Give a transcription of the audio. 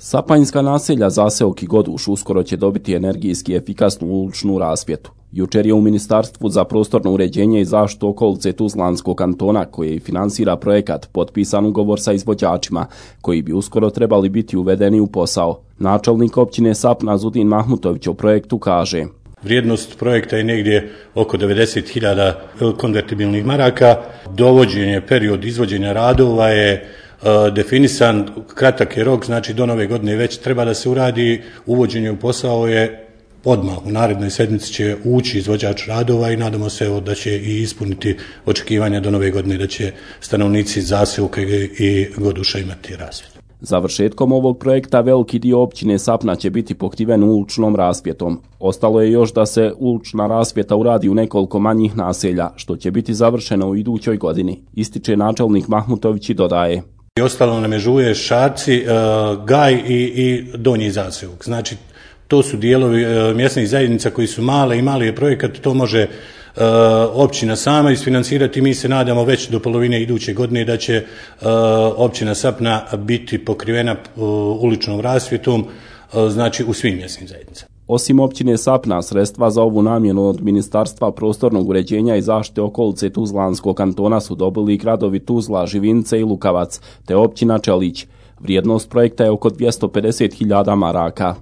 Sapanjska naselja Zaseok i Goduš uskoro će dobiti energijski efikasnu uličnu rasvjetu. Jučer je u Ministarstvu za prostorno uređenje i zaštitu okolice Tuzlanskog kantona, koji finansira projekat, potpisan ugovor sa izvođačima, koji bi uskoro trebali biti uvedeni u posao. Načelnik općine Sapna Zudin Mahmutović o projektu kaže: Vrijednost projekta je negdje oko 90.000 konvertibilnih maraka. Dovođenje, period izvođenja radova je definisan, kratak je rok, znači do nove godine već treba da se uradi. Uvođenje u posao je odmah, u narednoj sedmici će ući izvođač radova i nadamo se da će i ispuniti očekivanja do nove godine, da će stanovnici Zaseoka i Goduša imati rasvjetu. Završetkom ovog projekta veliki dio općine Sapna će biti pokriven uličnom rasvjetom. Ostalo je još da se ulična rasvjeta uradi u nekoliko manjih naselja, što će biti završeno u idućoj godini, ističe načelnik Mahmutović i dodaje: Ostalo nam je Žuje, Šarci, Gaj i Donji Zaseok. Znači, to su dijelovi mjesnih zajednica koji su male i mali je projekat, to može općina sama isfinansirati. Mi se nadamo već do polovine iduće godine da će općina Sapna biti pokrivena uličnom rasvjetom, znači u svim mjesnim zajednicama. Osim općine Sapna, sredstva za ovu namjenu od Ministarstva prostornog uređenja i zaštite okolice Tuzlanskog kantona su dobili gradovi Tuzla, Živince i Lukavac, te općina Čelić. Vrijednost projekta je oko 250.000 maraka.